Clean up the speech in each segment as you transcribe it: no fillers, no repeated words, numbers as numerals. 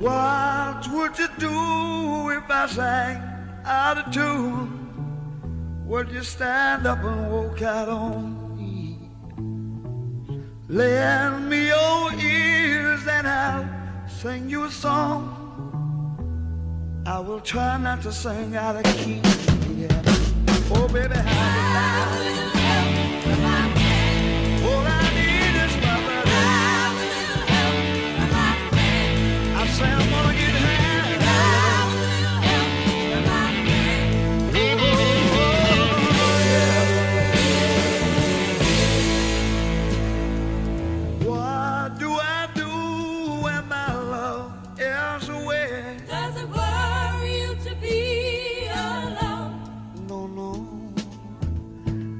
What would you do if I sang out of tune? Would you stand up and walk out on me? Lend me your ears and I'll sing you a song. I will try not to sing out of key. Yeah. Oh, baby, how do you all I need is my love. I say I'm gonna get high. What do I do when my love is away? Does it worry you to be alone? No, no.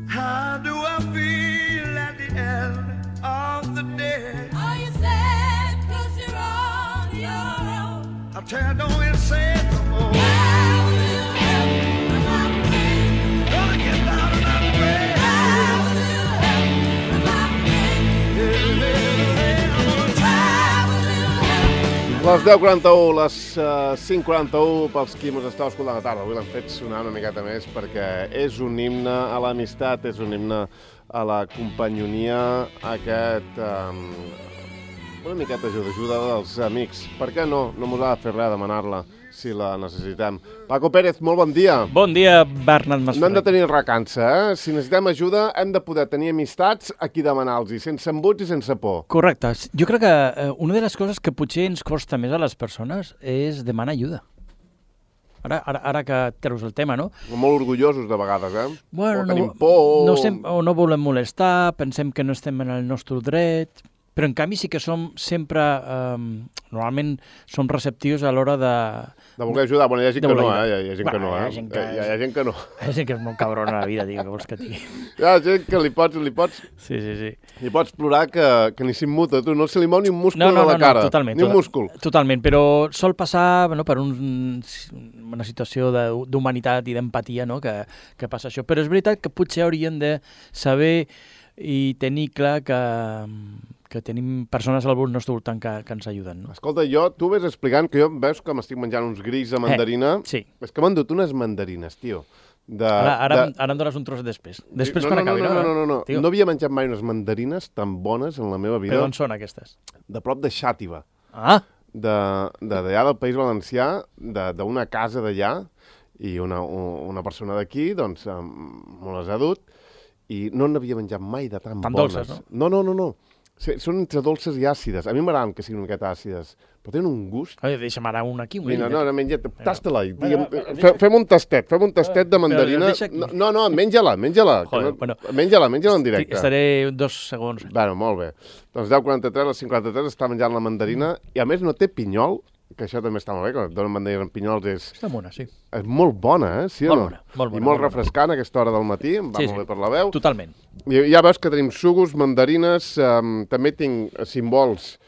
How do I feel at the end of the day? Are you sad 'cause you're on your own? I tell you, don't even say it no more. How will you help when I'm pain? Gonna get down and I'm way. How will you help when I'm pain? How will you help? Les 10:41, les 5:41, pels qui mos estàu escoltant a la tarda. Avui l'hem fet sonar una miqueta més perquè és un himne a l'amistat, és un himne a la companyonia, una miqueta ajuda dels amics. Per què no? No mos ha de fer res demanar-la si la necessitem. Paco Pérez, molt bon dia. Bon dia, Bernat Masferrer. No hem de tenir recança, eh? Si necessitem ajuda hem de poder tenir amistats a qui demanar-los, sense embuts i sense por. Correcte. Jo crec que una de les coses que potser ens costa més a les persones és demanar ajuda. Ara que treus el tema, no? Molt orgullosos de vegades, eh? Bueno, o tenim por... o no volem molestar, pensem que no estem en el nostre dret, però en canvi sí que som sempre, normalment som receptius a l'hora de voler ajudar. Bueno, hi ha gent que no, hi ha gent que no, Hi ha gent que hi ha gent que no. Hi ha gent que és molt cabrona a la vida, tio, que vols que tingui. Hi ha gent que li pots... Sí. Li pots plorar que ni s'immuta, tu. No se li mou ni un múscul No, de la cara. totalment. Ni un múscul. Totalment, però sol passar per una situació d'humanitat i d'empatia, no?, que passa això. Però és veritat que potser hauríem de saber i tenir clar que tenim persones al nostre voltant que ens ajuden, no? Escolta, tu ves explicant que veus que m'estic menjant uns grills de mandarina. Sí. És que m'han dut unes mandarines, tio. Ara em dones un tros després. Després quan acabi, no? No. No havia menjat mai unes mandarines tan bones en la meva vida. Però on són aquestes? De prop de Xàtiva. Ah! D'allà del País Valencià, d'una casa d'allà, i una persona d'aquí, doncs, me les ha dut, i no n'havia menjat mai de tan bones. Dolces, no? No. Sí, són entre dolces i àcides. A mi m'agraden que siguin una miqueta àcides, però tenen un gust. Deixa'm ara un aquí. Mira, no, menja't, tasta-la. Fem un tastet de mandarina. No, menja-la. Joder, bueno. Menja-la en directe. Estaré 2 segons. Bueno, molt bé. Doncs 10:43, a les 5:43 està menjant la mandarina, i a més no té pinyol, que això també està molt bé, quan et donen mandarina amb pinyols Està bona, sí. és molt bona, sí o no? Molt bona. I molt refrescant a aquesta hora del matí, em va molt bé per la veu. Totalment. I ja veus que tenim sucos, mandarines, també tinc cimbols,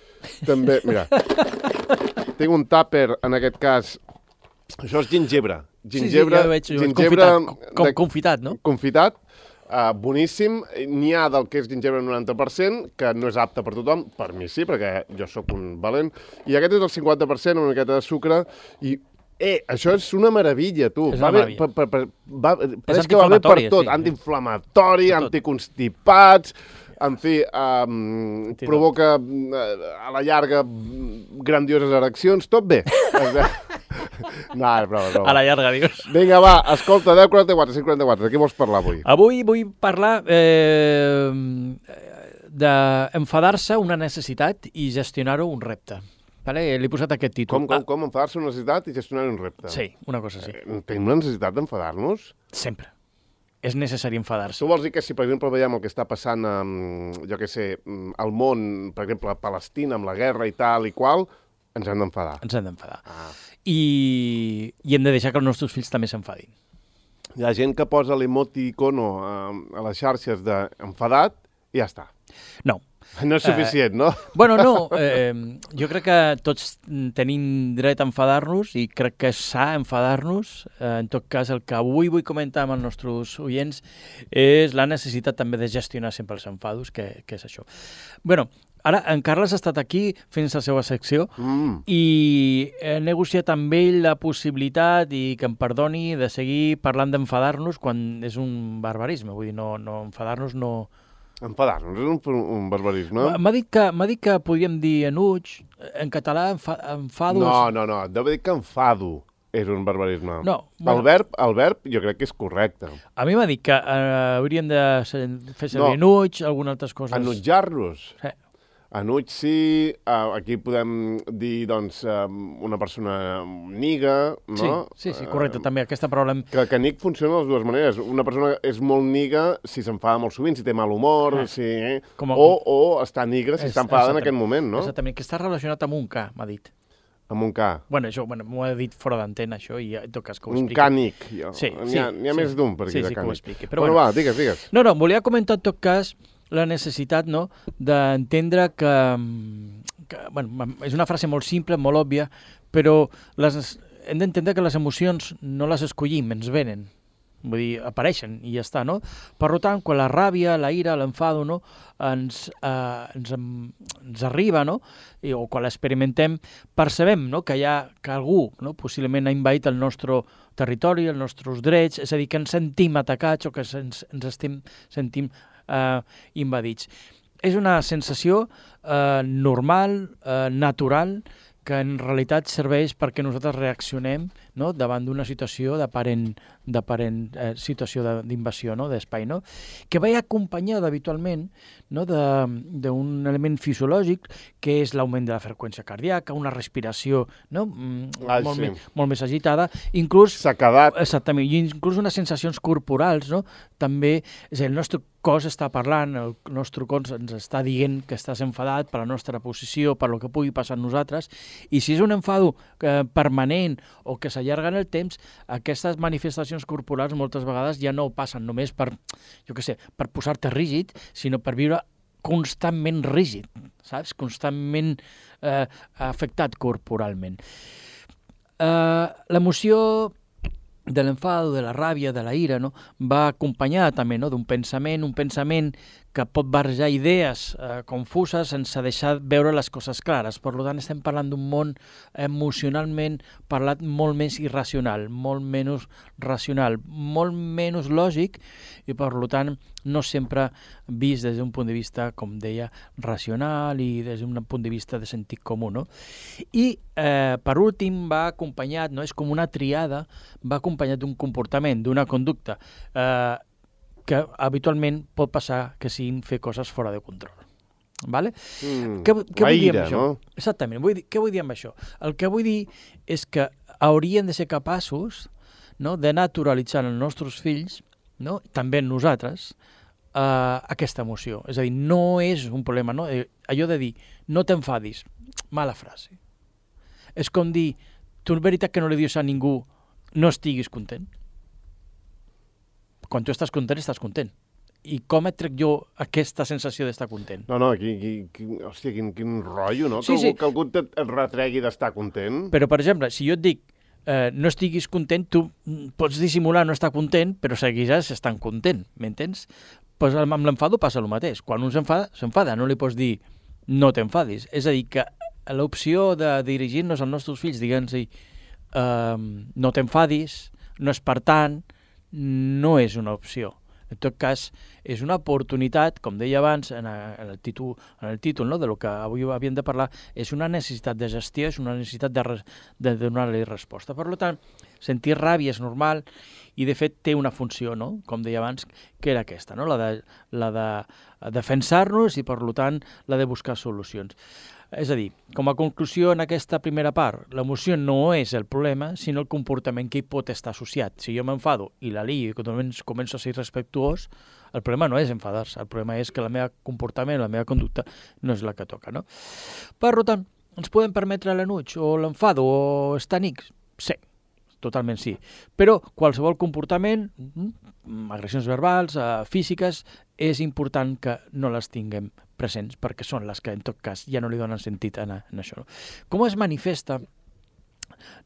també, mira, tinc un tàper, en aquest cas, això és gingebre. Sí, ja ho veig, confitat, no? Confitat, boníssim. N'hi ha del que és gingebre 90%, que no és apte per tothom, per mi sí, perquè jo sóc un valent, i aquest és el 50%, una miqueta de sucre, i això és una meravella, tu. És una meravella. És que va bé per tot, antiinflamatori, anticonstipats, en fi, provoca a la llarga grandioses ereccions, tot bé. No, broma. A la llarga, dius. Vinga, va, escolta, 10:44, 5:44, de què vols parlar avui? Avui vull parlar d'enfadar-se una necessitat i gestionar-ho un repte. Vale? Li he posat aquest títol. Com enfadar-se una necessitat i gestionar un repte? Sí, una cosa així. Tenim la necessitat d'enfadar-nos? Sempre. És necessari enfadar-se. Tu vols dir que si, per exemple, veiem el que està passant, jo què sé, al món, per exemple, a Palestina, amb la guerra i tal i qual, ens hem d'enfadar? Ens hem d'enfadar. I hem de deixar que els nostres fills també s'enfadin. Hi ha gent que posa l'emoticono a les xarxes d'enfadat i ja està. No. No és suficient, no? Bueno, no. Jo crec que tots tenim dret a enfadar-nos i crec que és sa enfadar-nos. En tot cas, el que avui vull comentar amb els nostres oients és la necessitat també de gestionar sempre els enfados, que és això. Bueno, Ara, en Carles ha estat aquí fent la seva secció i he negociat amb ell la possibilitat, i que em perdoni, de seguir parlant d'enfadar-nos quan és un barbarisme. Vull dir, no enfadar-nos no... Enfadar-nos és un barbarisme? M'ha dit que podíem dir enuig, en català enfados... No, et deu dir que enfado és un barbarisme. No, bueno, el verb jo crec que és correcte. A mi m'ha dit que hauríem de fer servir enuig, algunes altres coses. Enutjar-nos? Sí. Enuig sí, aquí podem dir, doncs, una persona niga, no? Sí, correcte, també aquesta paraula... Que nig funciona de les dues maneres. Una persona és molt niga si s'enfada molt sovint, si té mal humor, o està nigra si està enfadada en aquest moment, no? Exactament, que està relacionat amb un K, m'ha dit. Amb un K. Bueno, això m'ho ha dit fora d'antena, això, i en tot cas que ho Un expliqui. cànic. Sí. N'hi ha més d'un per aquí de cànic. Sí, que ho expliqui. Però bueno, va, digues. No, volia comentar en tot cas la necessitat, no?, d'entendre que bueno, és una frase molt simple, molt òbvia, però hem d'entendre que les emocions no les escollim, ens venen. Vull dir, apareixen i ja està, no? Per tant, quan la ràbia, la ira, l'enfado, no?, ens arriba, no?, o quan l'experimentem, percebem, no?, que algú, no?, possiblement ha invadit el nostre territori, els nostres drets, és a dir, que ens sentim atacats o que ens sentim invadits. És una sensació normal, natural, que en realitat serveix perquè nosaltres reaccionem, no?, davant d'una situació d'aparent situació d'invasió, no?, d'espai, no?, que va acompanyada habitualment, no?, d'un element fisiològic que és l'augment de la freqüència cardíaca, una respiració, no?, molt més agitada, inclús... Sequedat. Exactament, i inclús unes sensacions corporals, no?, també, és a dir, el nostre cos està parlant, el nostre cos ens està dient que estàs enfadat per la nostra posició, per lo que pugui passar amb nosaltres, i si és un enfado permanent o que s'allarga en el temps, aquestes manifestacions corporals moltes vegades ja no passen només per, per posar-te rígid, sinó per viure constantment rígid, saps? Constantment afectat corporalment. L'emoció de l'enfado, de la ràbia, de la ira, no?, va acompanyada també, no?, d'un pensament, un pensament que pot barrejar idees confuses sense deixar veure les coses clares. Per tant, estem parlant d'un món emocionalment parlat molt més irracional, molt menys racional, molt menys lògic i, per tant, no sempre vist des d'un punt de vista, com deia, racional i des d'un punt de vista de sentit comú, no? I, per últim, va acompanyat, no?, és com una triada, va acompanyat d'un comportament, d'una conducta que habitualment pot passar que siguin fer coses fora de control. Vale? Què vull dir amb això? No? Exactament. Què vull dir amb això? El que vull dir és que hauríem de ser capaços, no?, de naturalitzar en els nostres fills, no?, també en nosaltres, aquesta emoció. És a dir, no és un problema, no? Allò de dir, no t'enfadis, mala frase. És com dir, tu és veritat que no li dius a ningú no estiguis content? Quan tu estàs content. I com et trec jo aquesta sensació d'estar content? No, hòstia, quin rotllo, no? Sí. Que algú et retregui d'estar content. Però, per exemple, si jo et dic no estiguis content, tu pots dissimular no estar content, però seguiràs estant content, m'entens? Pues amb l'enfado passa el mateix. Quan un s'enfada, no li pots dir no t'enfadis. És a dir, que l'opció de dirigir-nos als nostres fills, diguem-nos, no t'enfadis, no és per tant, no és una opció. En tot cas, és una oportunitat, com deia abans en el títol, no?, de lo que avui havíem de parlar, és una necessitat de gestió, és una necessitat de donar-li resposta. Per tant, sentir ràbia és normal i, de fet, té una funció, no?, com deia abans, que era aquesta, no?, la de defensar-nos i, per tant, la de buscar solucions. És a dir, com a conclusió en aquesta primera part, l'emoció no és el problema, sinó el comportament que hi pot estar associat. Si jo m'enfado i la lio i començo a ser respectuós, el problema no és enfadar-se, el problema és que el meu comportament, la meva conducta no és la que toca, no? Per tant, ens podem permetre l'enuig o l'enfado o estar amics? Sí, totalment sí. Però qualsevol comportament, agressions verbals, físiques, és important que no les tinguem presents, perquè són les que, en tot cas, ja no li donen sentit en això. Com es manifesta,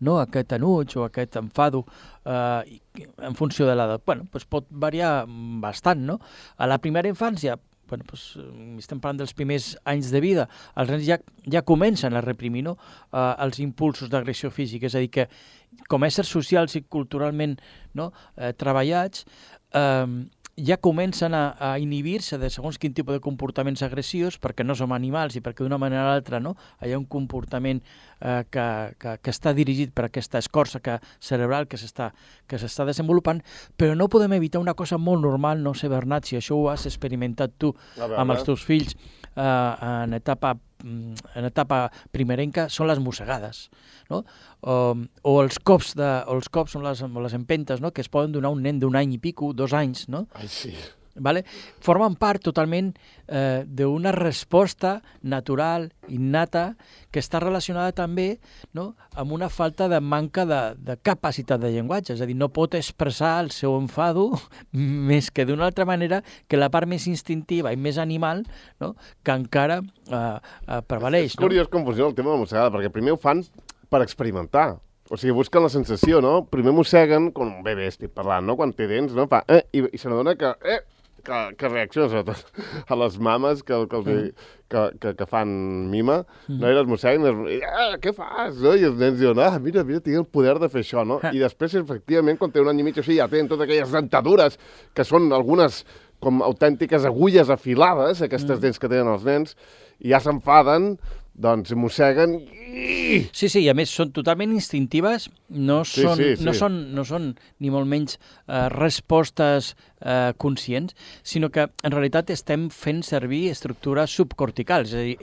no, aquest enuig o aquest enfado en funció de l'edat? Bueno, doncs pot variar bastant, no? A la primera infància bueno, doncs, estem parlant dels primers anys de vida, els nens ja comencen a reprimir, no? Els impulsos d'agressió física, és a dir, que com a éssers socials i culturalment, no? Treballats, ja comencen a inhibir-se de segons quin tipus de comportaments agressius, perquè no som animals i perquè d'una manera o l'altra, no? Hi ha un comportament que està dirigit per aquesta escorça cerebral que s'està desenvolupant, però no podem evitar una cosa molt normal, no sé, Bernat, si això ho has experimentat tu amb els teus fills en etapa primerenca, són les mossegades, no? O els cops són les empentes, no? Que es poden donar a un nen d'un any i pico, 2 anys, no? Ai, sí. Vale? Formen part totalment d'una resposta natural, innata, que està relacionada també, no? Amb una falta de manca de capacitat de llenguatge, és a dir, no pot expressar el seu enfado més que d'una altra manera que la part més instintiva i més animal, no? Que encara prevaleix. És curiós com funciona el tema de la mossegada, perquè primer ho fan per experimentar. O sigui, busquen la sensació, no? Primer mosseguen, com un bebè estic parlant, no? Quan té dents, no? Fa, i se n'adona que reacciona, sobretot a les mames que fan mima, no? I les mosseguen, què fas? No? I els nens diuen, mira, tinc el poder de fer això, no? I després, efectivament, quan té un any i mig o sigui, ja tenen totes aquelles dentadures, que són algunes com autèntiques agulles afilades, aquestes dents que tenen els nens, i ja s'enfaden, doncs mosseguen i... Sí, i a més són totalment instintives, no són ni molt menys respostes conscients, sinó que en realitat estem fent servir estructures subcorticals, és a dir,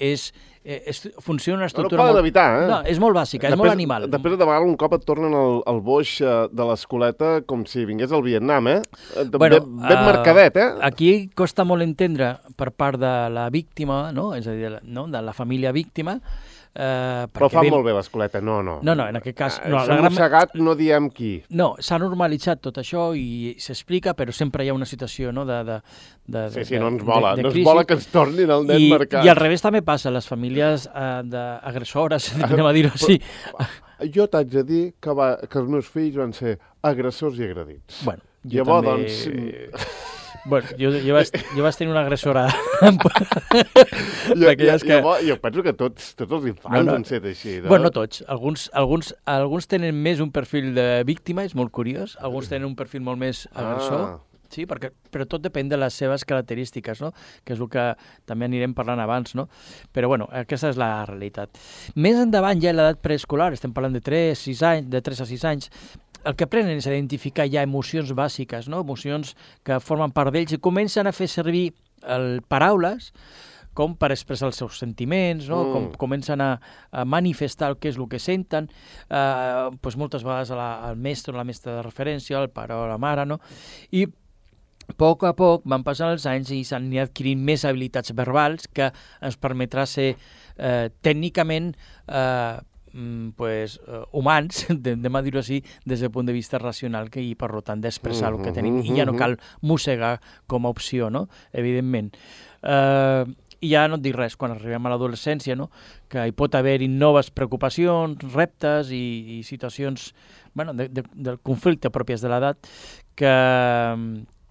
funciona una estructura... No poden evitar, No, és molt bàsica, és molt animal. Després de vegades un cop et tornen el boix de l'escoleta com si vingués al Vietnam, ben marcadet, Aquí costa molt entendre per part de la víctima, no? És a dir, de la família víctima, però fa molt bé l'escoleta, no. No, en aquest cas... S'ha mossegat, no diem qui. No, s'ha normalitzat tot això i s'explica, però sempre hi ha una situació, no, Sí, no ens vola que ens tornin el nen marcat. I al revés també passa, les famílies d'agressores, anem a dir-ho així. Jo t'haig de dir que els meus fills van ser agressors i agredits. Bueno, llavors, doncs... Bueno, jo vaig tenir una agressora. Jo penso que tots els infants han set així. No? Bueno, no tots. Alguns tenen més un perfil de víctima, és molt curiós. Alguns tenen un perfil molt més agressor. Sí, però tot depèn de les seves característiques, no? Que és el que també anirem parlant abans, no? Però, bueno, aquesta és la realitat. Més endavant, ja a l'edat preescolar, estem parlant de 3 a 6 anys, el que aprenen és a identificar ja emocions bàsiques, no? Emocions que formen part d'ells i comencen a fer servir paraules com per expressar els seus sentiments, no? Com comencen a manifestar què és el que senten, doncs moltes vegades al mestre o la mestra de referència, al pare o la mare, no? I a poc van passant els anys i s'han anat adquirint més habilitats verbals que ens permetrà ser tècnicament humans, anem a dir-ho així, des del punt de vista racional i per tant d'expressar el que tenim. I ja no cal mossegar com a opció, no? Evidentment. I ja no et dic res, quan arribem a l'adolescència, no? Que hi pot haver-hi noves preocupacions, reptes i situacions del conflicte pròpies de l'edat que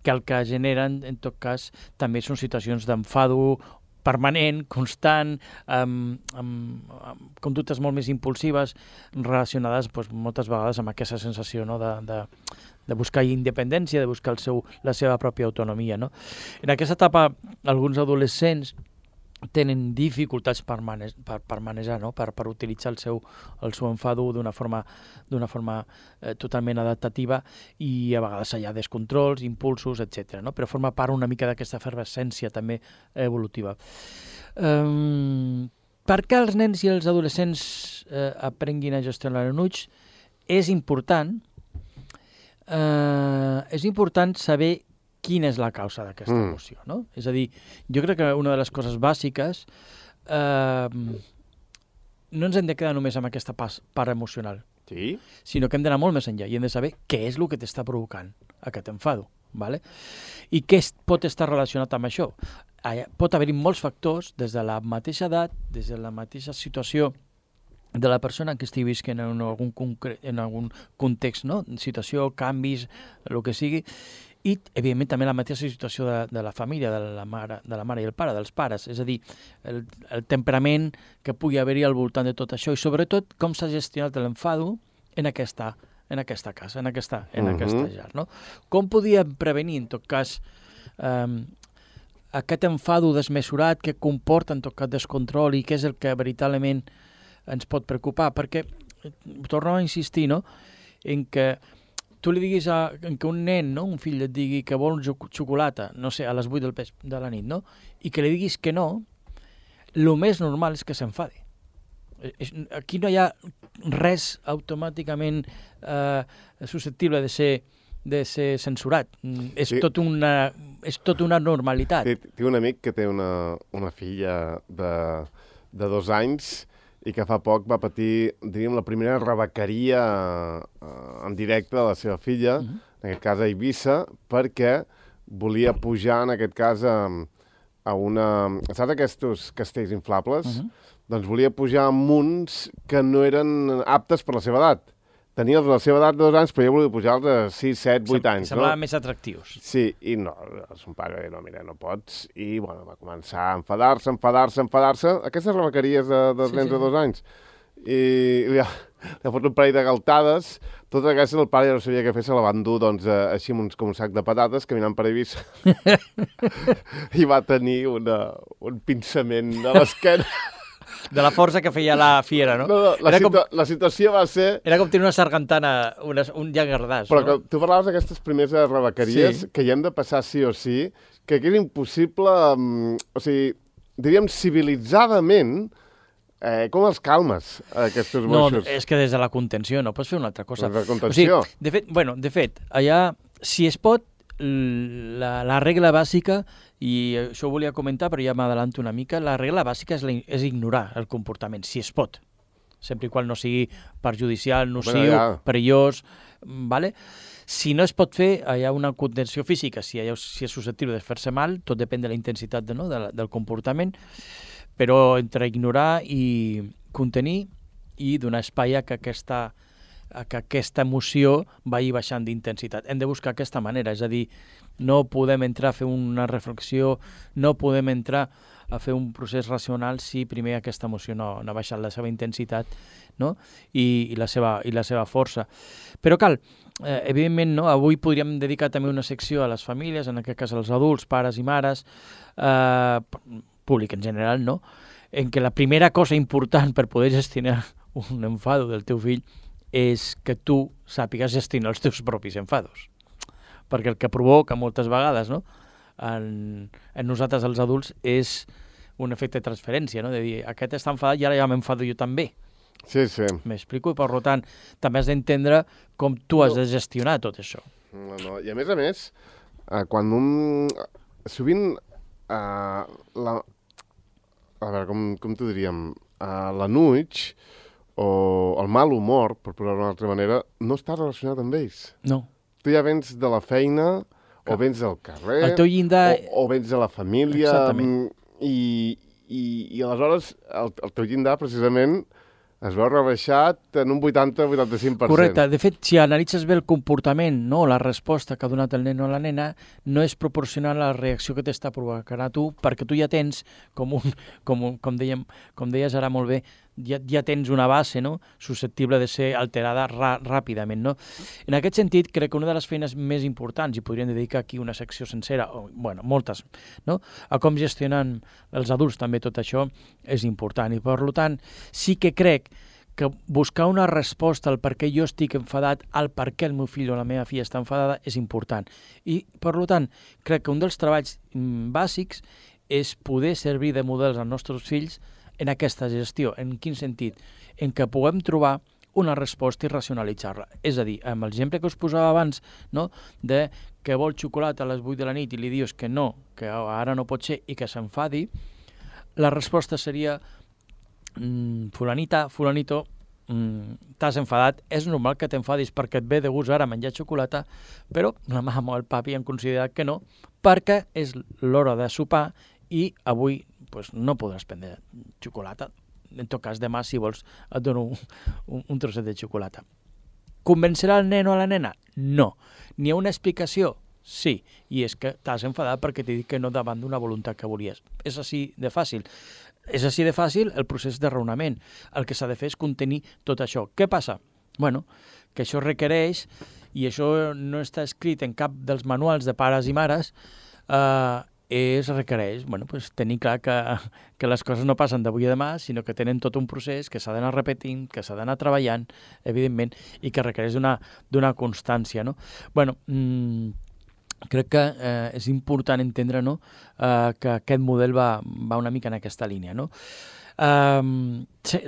el que generen, en tot cas, també són situacions d'enfado permanent, constant, amb conductes molt més impulsives, relacionades moltes vegades amb aquesta sensació, no? de buscar independència, de buscar la seva pròpia autonomia, no? En aquesta etapa, alguns adolescents tenen dificultats per manejar, no? per utilitzar el seu enfado d'una forma totalment adaptativa i a vegades hi ha descontrols, impulsos, etc. No? Però forma part una mica d'aquesta efervescència també evolutiva. Per què els nens i els adolescents aprenguin a gestionar l'enuig? És important saber quina és la causa d'aquesta emoció, no? És a dir, jo crec que una de les coses bàsiques no ens hem de quedar només amb aquesta part emocional, sinó que hem d'anar molt més enllà i hem de saber què és el que t'està provocant aquest enfado, ¿vale? I què pot estar relacionat amb això? Pot haver-hi molts factors, des de la mateixa edat, des de la mateixa situació de la persona que estigui visquent en algun context, no? Situació, canvis, el que sigui, I, evidentment, també la mateixa situació de la família, de la mare i el pare, dels pares, és a dir, el temperament que pugui haver-hi al voltant de tot això i, sobretot, com s'ha gestionat l'enfado en aquesta casa, en aquesta llar. No? Com podíem prevenir, en tot cas, aquest enfado desmesurat que comporta, en tot cas, descontrol i què és el que veritablement ens pot preocupar? Perquè, torno a insistir, no?, en que tu li diguis en que un nen, no?, un fill et digui que vol xocolata, no sé, a les 8 de la nit, no?, i que li diguis que no, el més normal és que s'enfadi. Aquí no hi ha res automàticament susceptible de ser censurat. És tot una normalitat. Tinc un amic que té una filla de 2 anys i que fa poc va patir, diríem, la primera rebequeria en directe de la seva filla, en aquest cas a Eivissa, perquè volia pujar, en aquest cas, a una... Saps aquests castells inflables? Doncs volia pujar a uns que no eren aptes per la seva edat. Tenia la seva edat de 2 anys, però jo volia pujar-los a 6, 7, 8 anys. Semblaven més atractius. Sí, i no, son pare va dir, no, mira, no pots. I, bueno, va començar a enfadar-se. Aquestes rebequeries dels nens de 2 anys. I li ha fot un parell de galtades. Totes aquestes el pare ja no sabia què fer, se la van dur, doncs, així com un sac de patates, caminant per Eivissa. I va tenir un pinçament de l'esquena. De la força que feia la fiera, no? La situació va ser... Era com tenir una sargantana, un llangardaix, però no? Però tu parlaves d'aquestes primeres rebequeries que hi hem de passar sí o sí, que és impossible, o sigui, diríem civilitzadament, com els calmes, aquests moixos? No, és que des de la contenció no pots fer una altra cosa. Des de la contenció? O sigui, de fet, allà, si es pot, la regla bàsica, i això ho volia comentar, però ja m'adelanto una mica, la regla bàsica és ignorar el comportament, si es pot, sempre i quan no sigui perjudicial, nociu, perillós, ¿vale? Si no es pot fer, hi ha una contenció física, si és susceptible de fer-se mal, tot depèn de la intensitat del comportament, però entre ignorar i contenir i donar espai a que aquesta emoció vagi baixant d'intensitat. Hem de buscar aquesta manera, és a dir, no podem entrar a fer una reflexió, no podem entrar a fer un procés racional si primer aquesta emoció no ha baixat la seva intensitat, no? I la seva força. Però cal, evidentment, no? Avui podríem dedicar també una secció a les famílies, en aquest cas als adults, pares i mares, públic en general, no? En què la primera cosa important per poder gestionar un enfado del teu fill és que tu sàpigues gestionar els teus propis enfados. Perquè el que provoca moltes vegades, no?, en nosaltres els adults és un efecte de transferència, no?, de dir, aquest està enfadat i ara ja m'enfado jo també. Sí. M'explico? I per tant, també has d'entendre com tu has de gestionar tot això. No. I a més, quan sovint, a veure, com t'ho diríem, l'anuig o el mal humor, per posar-ho d'una altra manera, no està relacionat amb ells. No. Tu ja vens de la feina, o vens del carrer, el teu llindar... o vens de la família, exactament. I aleshores el teu llindar, precisament, es veu rebaixat en un 80-85%. Correcte. De fet, si analitzes bé el comportament, no, la resposta que ha donat el nen o la nena, no és proporcional a la reacció que t'està provocant a tu, perquè tu ja tens, com deies ara molt bé, ja tens una base, no?, susceptible de ser alterada ràpidament, no? En aquest sentit, crec que una de les feines més importants, i podríem dedicar aquí una secció sencera, o, bueno, moltes, no?, a com gestionen els adults també tot això, és important. I, per tant, sí que crec que buscar una resposta al per què jo estic enfadat, al per què el meu fill o la meva filla està enfadada, és important. I, per tant, crec que un dels treballs bàsics és poder servir de models als nostres fills en aquesta gestió. En quin sentit? En què puguem trobar una resposta i racionalitzar-la. És a dir, amb l'exemple que us posava abans, no?, de que vol xocolata a les 8 de la nit i li dius que no, que ara no pot ser i que s'enfadi, la resposta seria fulanito, t'has enfadat, és normal que t'enfadis perquè et ve de gust ara menjar xocolata, però la mama o el papi han considerat que no, perquè és l'hora de sopar i avui no podràs prendre xocolata. En tot cas, demà, si vols, et dono un trosset de xocolata. Convencerà el nen o la nena? No. N'hi ha una explicació? Sí, i és que t'has enfadat perquè t'he dit que no davant d'una voluntat que volies. És així de fàcil. És així de fàcil el procés de raonament. El que s'ha de fer és contenir tot això. Què passa? Bueno, que això requereix, i això no està escrit en cap dels manuals de pares i mares, requereix pues, tenir clar que les coses no passen d'avui a demà, sinó que tenen tot un procés que s'ha d'anar repetint, que s'ha d'anar treballant, evidentment, i que requereix d'una constància. No? Bueno, crec que és important entendre que aquest model va una mica en aquesta línia. No? Fer-los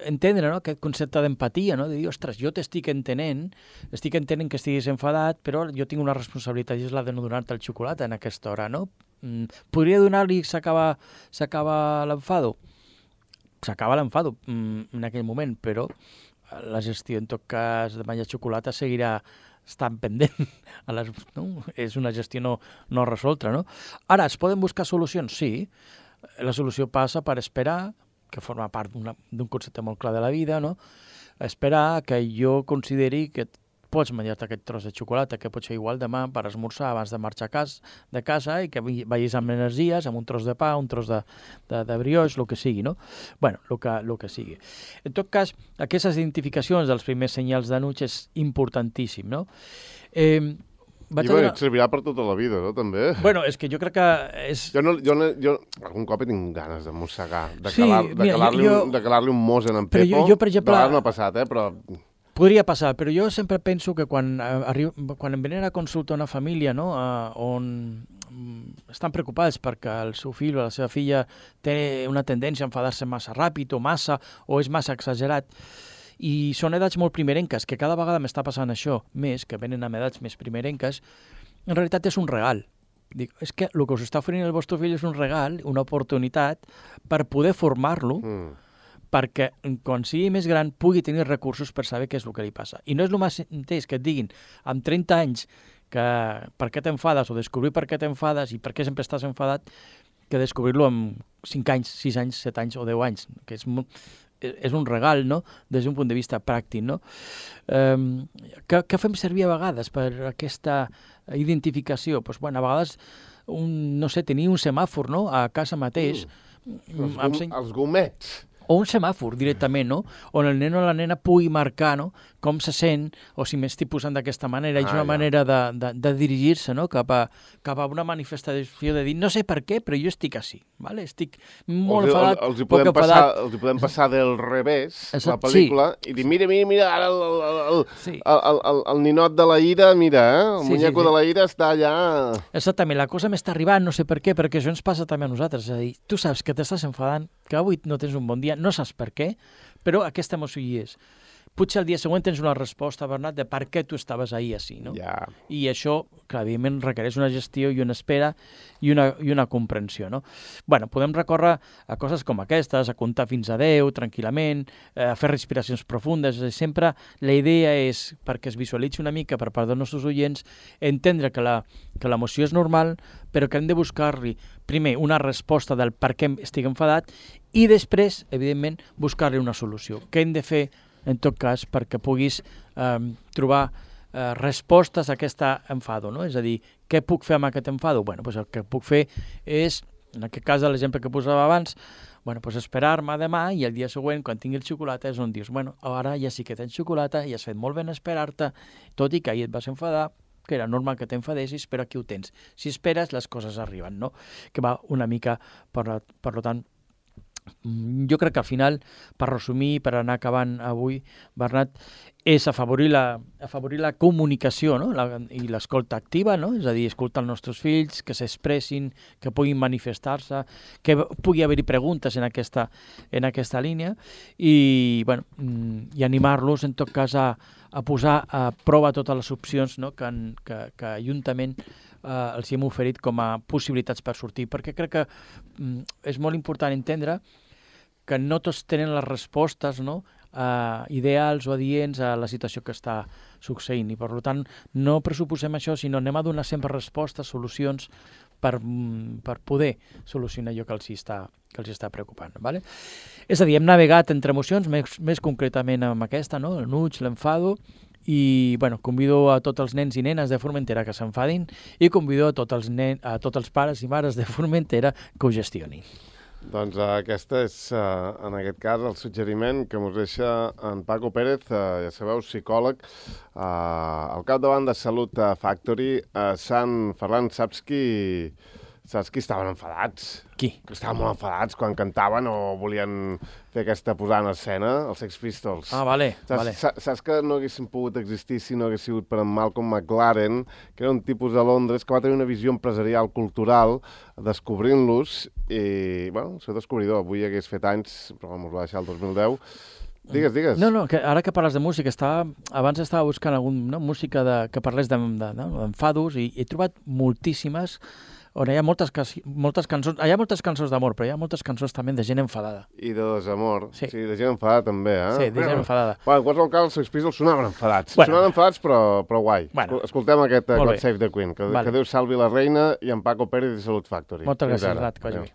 entendre aquest concepte d'empatia, no? De dir, ostres, jo estic entenent que estiguis enfadat, però jo tinc una responsabilitat i és la de no donar-te el xocolata en aquesta hora. No? Podria donar-li i s'acaba l'enfado? S'acaba l'enfado en aquell moment, però la gestió, en tot cas, de menjar xocolata seguirà estan pendent. No? És una gestió no resolta. No? Ara, es poden buscar solucions? Sí. La solució passa per esperar, que forma part d'un concepte molt clar de la vida, no? Esperar que jo consideri que pots menjar-te aquest tros de xocolata, que pot ser igual demà per esmorzar abans de marxar de casa i que vagis amb energies, amb un tros de pa, un tros de brioix, el que sigui, no? Bueno, el que sigui. En tot cas, aquestes identificacions dels primers senyals d'enuig és importantíssim, no? Et servirà per tota la vida, no, també? Bueno, és que jo crec que és... Jo algun cop he tingut ganes de mossegar, de calar-li un mos en Pepo. Jo, per exemple... De vegades m'ha passat, però... Podria passar, però jo sempre penso que quan em venen a consulta una família, no, on estan preocupats perquè el seu fill o la seva filla té una tendència a enfadar-se massa ràpid o és massa exagerat, i són edats molt primerenques, que cada vegada m'està passant això més, que venen amb edats més primerenques, en realitat és un regal. Dic, és que el que us està oferint el vostre fill és un regal, una oportunitat per poder formar-lo, perquè quan sigui més gran pugui tenir recursos per saber què és el que li passa. I no és el mateix que et diguin amb 30 anys que per què t'enfades o descobrir per què t'enfades i per què sempre estàs enfadat, que descobrir-lo amb 5 anys, 6 anys, 7 anys o 10 anys, que és un regal, no?, des d'un punt de vista pràctic. No? Què fem servir a vegades per aquesta identificació? Pues, bueno, a vegades, no sé, tenir un semàfor, no?, a casa mateix. Els gomets. O un semàfor directament, no? On el nen o la nena pugui marcar, no?, com se sent, o si m'estic posant d'aquesta manera. És una manera de dirigir-se, no?, cap a una manifestació de dir, no sé per què, però jo estic així, ¿vale? Estic molt enfadat, poc enfadat. Els hi podem passar del revés, la pel·lícula, i dir, mira, ara el ninot de la ira, mira, el muñeco de la ira està allà... Exactament, la cosa m'està arribant, no sé per què, perquè això ens passa també a nosaltres. És a dir, tu saps que t'estàs enfadant, que avui no tens un bon dia, no saps per què, però aquesta emoció hi és. Potser el dia següent tens una resposta, Bernat, de per què tu estaves ahir així, no? Yeah. I això, clar, evidentment, requereix una gestió i una espera i una comprensió, no? Bueno, podem recórrer a coses com aquestes, a comptar fins a 10, tranquil·lament, a fer respiracions profundes. Sempre la idea és, perquè es visualitzi una mica per part dels nostres oients, entendre que l'emoció és normal, però que hem de buscar-li, primer, una resposta del per què estic enfadat i després, evidentment, buscar-li una solució. Què hem de fer, en tot cas, perquè puguis trobar respostes a aquest enfado, no? És a dir, què puc fer amb aquest enfado? Bueno, doncs el que puc fer és, en aquest cas de l'exemple que posava abans, bueno, doncs esperar-me demà i el dia següent, quan tingui el xocolata, és on dius, bueno, ara ja sí que tens xocolata i has fet molt ben esperar-te, tot i que ahir et vas enfadar, que era normal que t'enfadessis, però aquí ho tens. Si esperes, les coses arriben, no? Que va una mica, per tant, jo crec que al final, per resumir, per anar acabant avui, Bernat, és afavorir la comunicació, no? I l'escolta activa, no? És a dir, escoltar els nostres fills, que s'expressin, que puguin manifestar-se, que pugui haver-hi preguntes en aquesta línia i, bueno, i animar-los, en tot cas, a posar a prova totes les opcions, no?, que juntament els hem oferit com a possibilitats per sortir, perquè crec que és molt important entendre que no tots tenen les respostes, no?, ideals o adients a la situació que està succeint i, per tant, no pressuposem això, sinó anem a donar sempre respostes, solucions per poder solucionar allò que els està preocupant. ¿Vale? És a dir, hem navegat entre emocions, més concretament amb aquesta, no?, l'enuig, l'enfado, i bueno, convido a tots els nens i nenes de Formentera que s'enfadin i convido a tots els pares i mares de Formentera que ho gestionin. Doncs aquesta és, en aquest cas, el suggeriment que ens deixa en Paco Pérez, ja sabeu, psicòleg, al capdavant de Salut Factory. Sant Ferran, saps qui estaven enfadats? Qui? Que estaven molt enfadats quan cantaven o volien fer aquesta posada en escena, els Sex Pistols. Ah, vale. Saps que no haguessin pogut existir si no hagués sigut per en Malcolm McLaren, que era un tipus de Londres que va tenir una visió empresarial, cultural, descobrint-los, i, bueno, el seu descobridor, avui hagués fet anys, però ens va deixar el 2010. Digues. No, que ara que parles de música, abans estava buscant alguna música que parlés d'enfados i he trobat moltíssimes on hi ha moltes cançons, hi ha moltes cançons d'amor, però hi ha moltes cançons també de gent enfadada. I de desamor. Sí. Sí, de gent enfadada també, eh? Sí, de gent enfadada. Bueno, en qualsevol cas, els Sex Pistols sonaven enfadats. Bueno. Sonaven enfadats, però guai. Bueno. Escoltem aquest Molt God bé. Save the Queen, que Vale. Déu salvi la reina i en Paco Pérez i Salut Factory. Moltes Fins gràcies, ara. Rat, que vagi Adéu. bé.